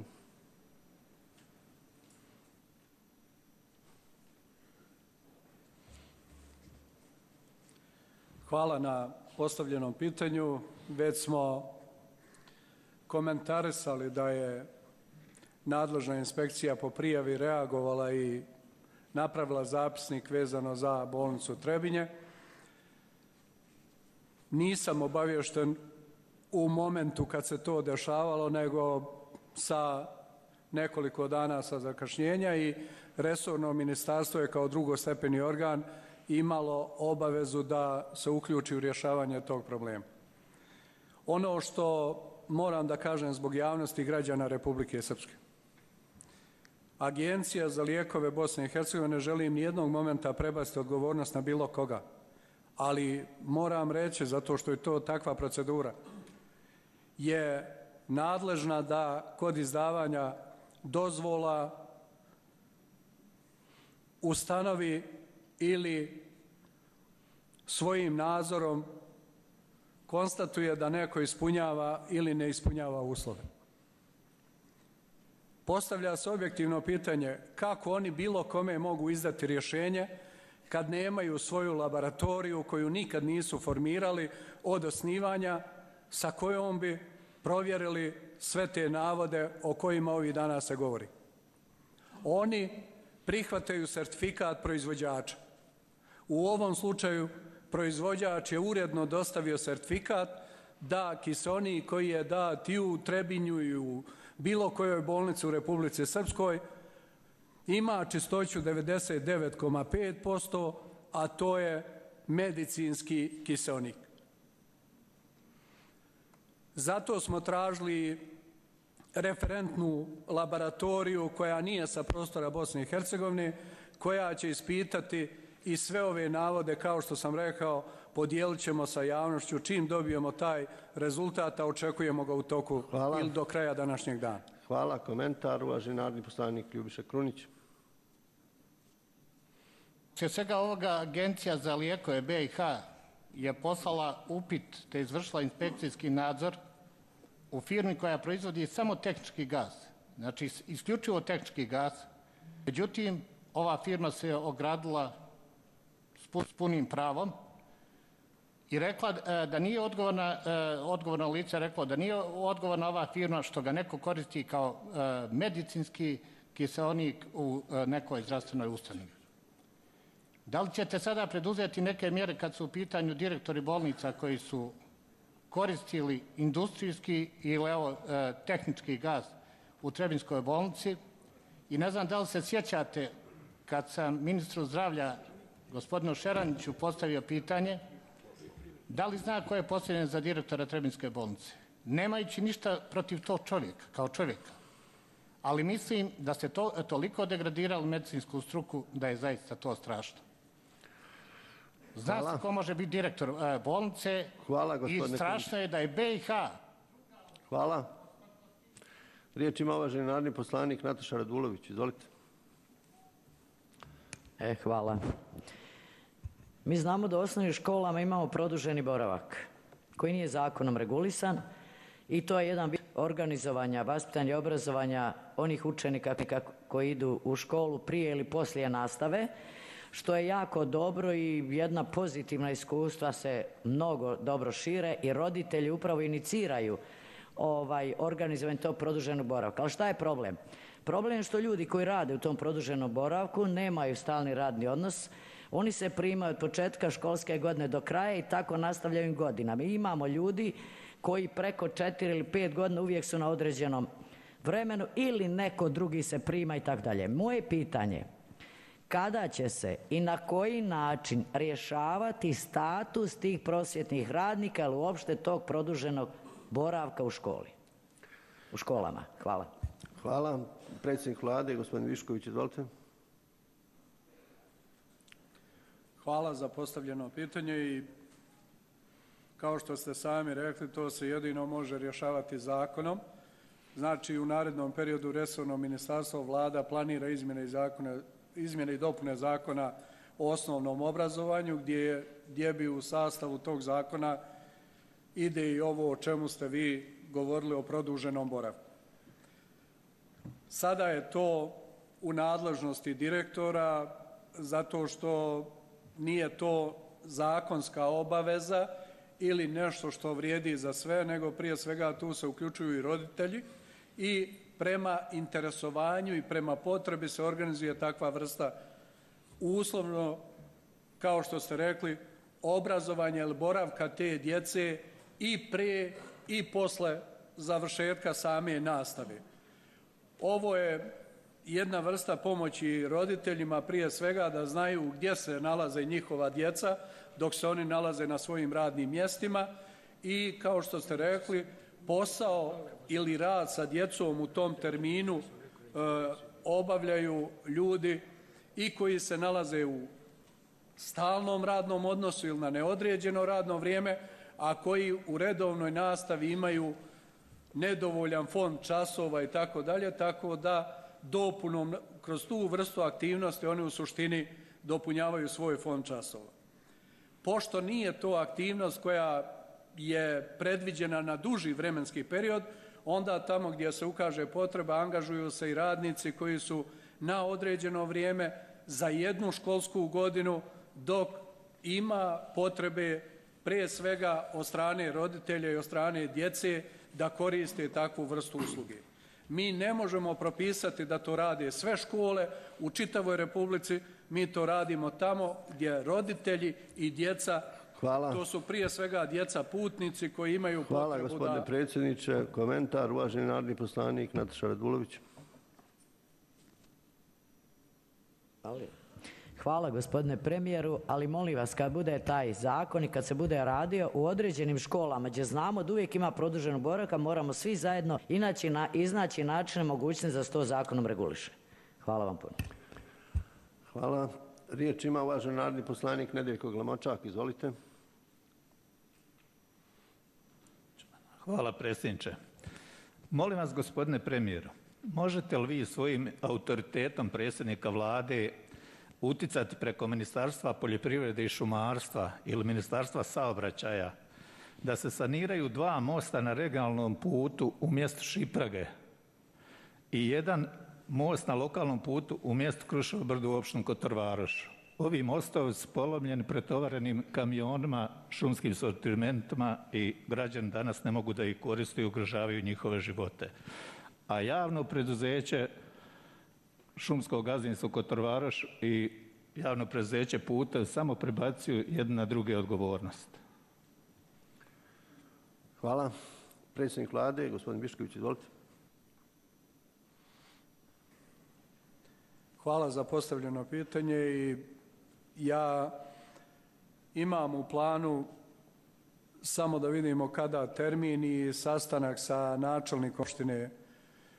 Hvala na postavljenom pitanju. Već smo komentarisali da je nadležna inspekcija po prijavi reagovala i napravila zapisnik vezano za bolnicu Trebinje. Nisam obaviješten u momentu kad se to dešavalo, nego sa nekoliko dana sa zakašnjenja i resorno ministarstvo je kao drugostepeni organ imalo obavezu da se uključi u rješavanje tog problema. Ono što moram da kažem zbog javnosti građana Republike Srpske. Agencija za lijekove Bosne i Hercegovine ne želim nijednog momenta prebaciti odgovornost na bilo koga, ali moram reći, zato što je to takva procedura, je nadležna da kod izdavanja dozvola ustanovi ili svojim nadzorom konstatuje da neko ispunjava ili ne ispunjava uslove. Postavlja se objektivno pitanje kako oni bilo kome mogu izdati rješenje kad nemaju svoju laboratoriju koju nikad nisu formirali od osnivanja, sa kojom bi provjerili sve te navode o kojima ovih dana se govori. Oni prihvataju sertifikat proizvođača. U ovom slučaju proizvođač je uredno dostavio sertifikat da kiseonik koji je dat i u Trebinju i u bilo kojoj bolnici u Republici Srpskoj ima čistoću 99,5%, a to je medicinski kiseonik. Zato smo tražili referentnu laboratoriju koja nije sa prostora Bosne i Hercegovine, koja će ispitati i sve ove navode, kao što sam rekao, podijelit ćemo sa javnošću. Čim dobijemo taj rezultat, a očekujemo ga u toku ili do kraja današnjeg dana. Hvala. Komentar, uvaženi narodni poslanik Ljubiša Krunić. Sve svega ovoga Agencija za lijekove BiH je poslala upit te izvršila inspekcijski nadzor u firmi koja proizvodi samo tehnički gas. Znači, isključivo tehnički gas. Međutim, ova firma se ogradila s punim pravom i rekla da nije odgovorna lice rekla da nije odgovorna ova firma što ga neko koristi kao medicinski kiseonik u nekoj zdravstvenoj ustanovi. Da li ćete sada preduzeti neke mjere kad su u pitanju direktori bolnica koji su koristili industrijski ili tehnički gas u Trebinskoj bolnici? I ne znam da li se sjećate kad sam ministru zdravlja gospodinu Šeraniću postavio pitanje da li zna ko je postavljen za direktora Trebinske bolnice, nemajući ništa protiv tog čovjeka, kao čovjeka. Ali mislim da ste toliko degradirali medicinsku struku da je zaista to strašno. Zna se ko može biti direktor bolnice i strašno je da je BiH. Hvala. Riječ ima uvaženi narodni poslanik Nataša Radulović. Izvolite. Hvala. Mi znamo da u osnovnim školama imamo produženi boravak koji nije zakonom regulisan i to je jedan vid organizovanja, vaspitanja i obrazovanja onih učenika koji idu u školu prije ili poslije nastave, što je jako dobro i jedna pozitivna iskustva se mnogo dobro šire i roditelji upravo iniciraju organizovanje tog produženog boravka. Ali šta je problem? Problem je što ljudi koji rade u tom produženom boravku nemaju stalni radni odnos, oni se primaju od početka školske godine do kraja i tako nastavljaju godinama. Mi imamo ljudi koji preko 4 ili 5 godina uvijek su na određenom vremenu ili neko drugi se prima i tako dalje. Moje pitanje, kada će se i na koji način rješavati status tih prosvjetnih radnika ili uopšte tog produženog boravka u školi, u školama? Hvala. Hvala. Predsjednik Vlade, gospodin Višković, izvolite. Hvala za postavljeno pitanje i kao što ste sami rekli, to se jedino može rješavati zakonom. Znači, u narednom periodu resorno ministarstvo, Vlada planira izmjene i dopune Zakona o osnovnom obrazovanju, gdje bi u sastavu tog zakona ide i ovo o čemu ste vi govorili o produženom boravku. Sada je to u nadležnosti direktora zato što nije to zakonska obaveza ili nešto što vrijedi za sve, nego prije svega tu se uključuju i roditelji i prema interesovanju i prema potrebi se organizuje takva vrsta uslovno, kao što ste rekli, obrazovanja ili boravka te djece i prije i posle završetka same nastave. Ovo je jedna vrsta pomoći roditeljima prije svega da znaju gdje se nalaze njihova djeca dok se oni nalaze na svojim radnim mjestima i kao što ste rekli, posao ili rad sa djecom u tom terminu obavljaju ljudi i koji se nalaze u stalnom radnom odnosu ili na neodređeno radno vrijeme, a koji u redovnoj nastavi imaju nedovoljan fond časova i tako dalje, tako da dopunom kroz tu vrstu aktivnosti oni u suštini dopunjavaju svoj fond časova. Pošto nije to aktivnost koja je predviđena na duži vremenski period, onda tamo gdje se ukaže potreba angažuju se i radnici koji su na određeno vrijeme za jednu školsku godinu, dok ima potrebe prije svega od strane roditelja i od strane djece da koriste takvu vrstu usluge. Mi ne možemo propisati da to rade sve škole u čitavoj Republici, mi to radimo tamo gdje roditelji i djeca, to su prije svega djeca putnici koji imaju potrebu da... Hvala gospodine predsjedniče. Komentar, uvaženi narodni poslanik Nataša Radulović. Hvala gospodine premijeru, ali molim vas kad bude taj zakon i kad se bude radio u određenim školama gdje znamo da uvijek ima produženu boravka, moramo svi zajedno iznaći načine mogućnosti da se to zakonom reguliše. Hvala vam puno. Hvala. Riječ ima uvaženi narodni poslanik Nedeljko Glamočak. Izvolite. Hvala predsjedniče. Molim vas gospodine premijeru, možete li vi svojim autoritetom predsjednika Vlade utjecati preko Ministarstva poljoprivrede i šumarstva ili Ministarstva saobraćaja da se saniraju 2 mosta na regionalnom putu u mjestu Šiprage i jedan most na lokalnom putu u mjestu Kruševo brdo u opštini Kotor Varoš. Ovi mostovi su polomljeni pretovarenim kamionima, šumskim sortimentima i građani danas ne mogu da ih koriste i ugrožavaju njihove živote. A javno preduzeće šumskog gazdinstva Kotor Varoš i javno preduzeće puta samo prebacuju jedne na druge odgovornost. Hvala. Predsjednik Vlade, gospodin Bišković, izvolite. Hvala za postavljeno pitanje i ja imam u planu samo da vidimo kada termin i sastanak sa načelnikom opštine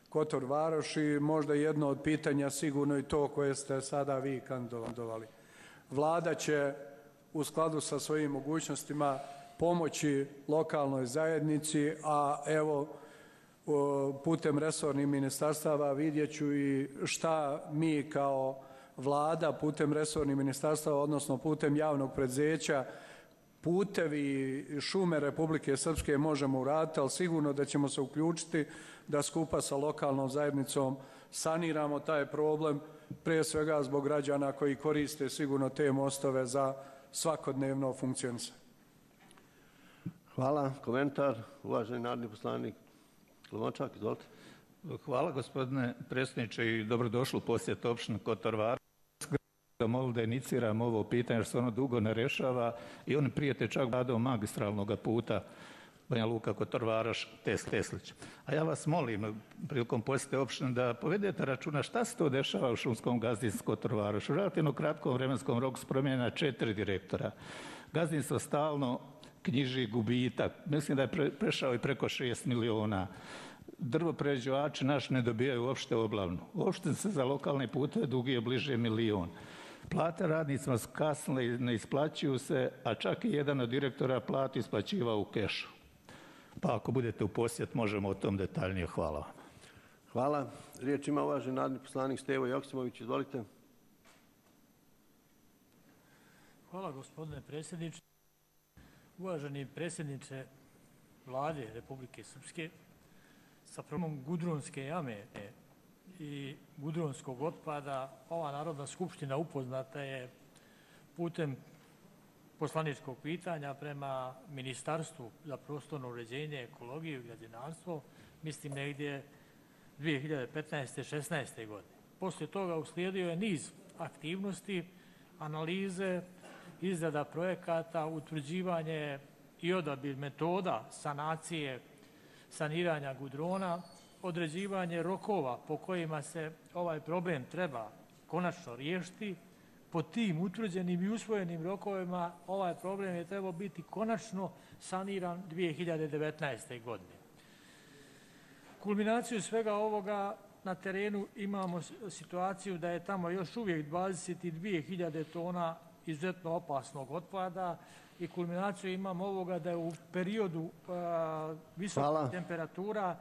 Kotor Varoš i možda jedno od pitanja sigurno i to koje ste sada vi kandidovali. Vlada će u skladu sa svojim mogućnostima pomoći lokalnoj zajednici, a evo putem resornih ministarstava vidjet ću i šta mi kao Vlada putem resornih ministarstava, odnosno putem javnog preduzeća Putevi i šume Republike Srpske možemo uraditi, ali sigurno da ćemo se uključiti da skupa sa lokalnom zajednicom saniramo taj problem, prije svega zbog građana koji koriste sigurno te mostove za svakodnevno funkcionisanje. Hvala. Komentar, uvaženi narodni poslanik Glamočak, izvolite. Hvala gospodine predsjedniče i dobrodošli u posjet opštine Kotor Varoš. Molim da iniciram ovo pitanje jer se ono dugo ne rješava i oni prijete čak radom magistralnog puta Banja Luka, Kotor Varoš, Teslić. A ja vas molim prilikom posjete opštine da povedete računa šta se to dešava u šumskom gazdinstvu Kotor Varoš. U relativno kratkom vremenskom roku su promijenjena 4 direktora. Gazdinstvo stalno knjiži gubitak. Mislim da je prešao i preko 6 miliona. Drvoprerađivači naši ne dobijaju uopšte oblavnu. Uopšte se za lokalne puteve dugi bliže milion. Plate radnicima su kasnile i ne isplaćuju se, a čak i jedan od direktora platu isplaćivao u kešu. Pa ako budete u posjet možemo o tom detaljnije. Hvala vam. Hvala. Riječ ima uvaženi narodni poslanik Stevo Joksimović. Izvolite. Hvala gospodine predsjedniče. Uvaženi predsjedniče Vlade Republike Srpske, sa problemom Gudrunske jame i gudronskog otpada ova Narodna skupština upoznata je putem poslaničkog pitanja prema Ministarstvu za prostorno uređenje, ekologiju i građevinarstvo, mislim negdje 2015. 16. godine. Poslije toga uslijedio je niz aktivnosti, analize, izrada projekata, utvrđivanje i odabir metoda sanacije, saniranja gudrona, određivanje rokova po kojima se ovaj problem treba konačno riješiti. Po tim utvrđenim i usvojenim rokovima ovaj problem je trebao biti konačno saniran 2019. godine. Kulminaciju svega ovoga na terenu imamo situaciju da je tamo još uvijek 22.000 tona izuzetno opasnog otpada i kulminaciju imamo ovoga da je u periodu visokih temperatura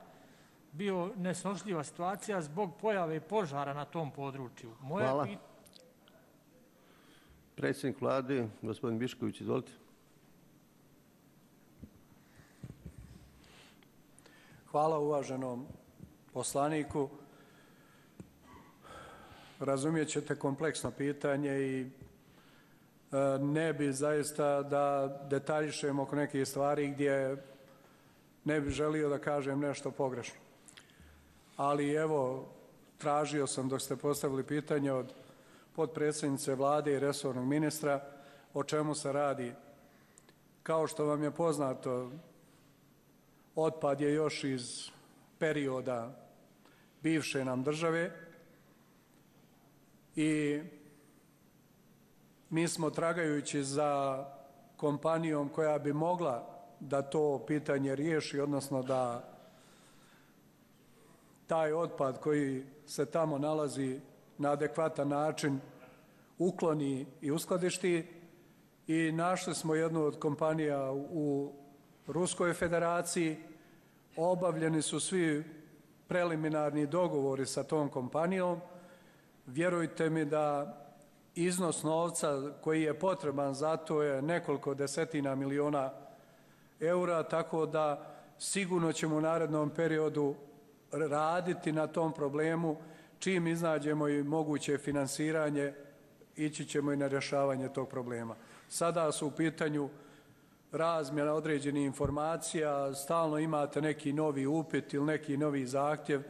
bio nesnošljiva situacija zbog pojave požara na tom području. Hvala. Predsjednik Vlade, gospodin Bišković, izvolite. Hvala uvaženom poslaniku. Razumijet ćete kompleksno pitanje i ne bi zaista da detaljišem oko nekih stvari gdje ne bi želio da kažem nešto pogrešno. Ali evo, tražio sam dok ste postavili pitanje od potpredsjednice Vlade i resornog ministra o čemu se radi. Kao što vam je poznato, otpad je još iz perioda bivše nam države i mi smo tragajući za kompanijom koja bi mogla da to pitanje riješi, odnosno da taj otpad koji se tamo nalazi na adekvatan način ukloni i uskladišti i našli smo jednu od kompanija u Ruskoj federaciji. Obavljeni su svi preliminarni dogovori sa tom kompanijom. Vjerujte mi da iznos novca koji je potreban za to je nekoliko desetina miliona eura, tako da sigurno ćemo u narednom periodu raditi na tom problemu. Čim iznađemo i moguće finansiranje, ići ćemo i na rješavanje tog problema. Sada su u pitanju razmjena određenih informacija, stalno imate neki novi upit ili neki novi zahtjev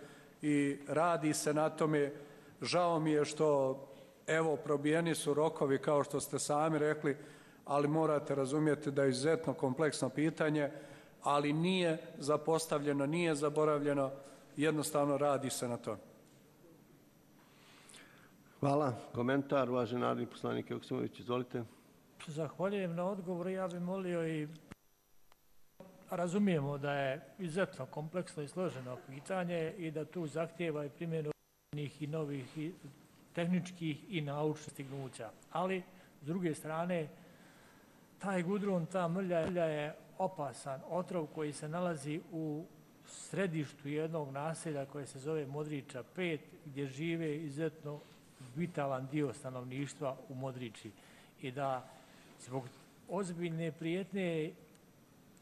i radi se na tome. Žao mi je što, evo, probijeni su rokovi kao što ste sami rekli, ali morate razumjeti da je izuzetno kompleksno pitanje, ali nije zapostavljeno, nije zaboravljeno, jednostavno radi se na to. Hvala. Komentar, uvaženi narodni poslanik Joksimović, izvolite. Zahvaljujem na odgovoru. Ja bih molio i razumijemo da je izuzetno kompleksno i složeno pitanje i da tu zahtijeva i primjenu i novih i tehničkih i naučnih stignuća. Ali, s druge strane, taj gudron, ta mrlja je opasan otrov koji se nalazi u središtu jednog naselja koje se zove Modriča 5, gdje žive izuzetno vitalan dio stanovništva u Modriči. I da zbog ozbiljne prijetnje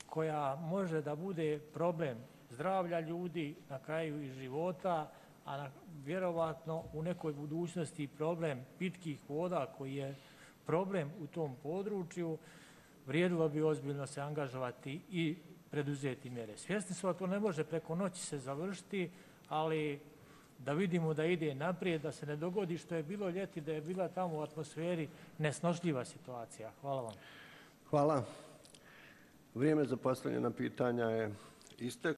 koja može da bude problem zdravlja ljudi, na kraju i života, a vjerovatno u nekoj budućnosti problem pitkih voda koji je problem u tom području, vrijedilo bi ozbiljno se angažovati i preduzeti mjere. Svjesni smo da to ne može preko noći se završiti, ali da vidimo da ide naprijed, da se ne dogodi što je bilo ljeti, da je bila tamo u atmosferi nesnošljiva situacija. Hvala vam. Hvala. Vrijeme za postavljena pitanja je isteklo.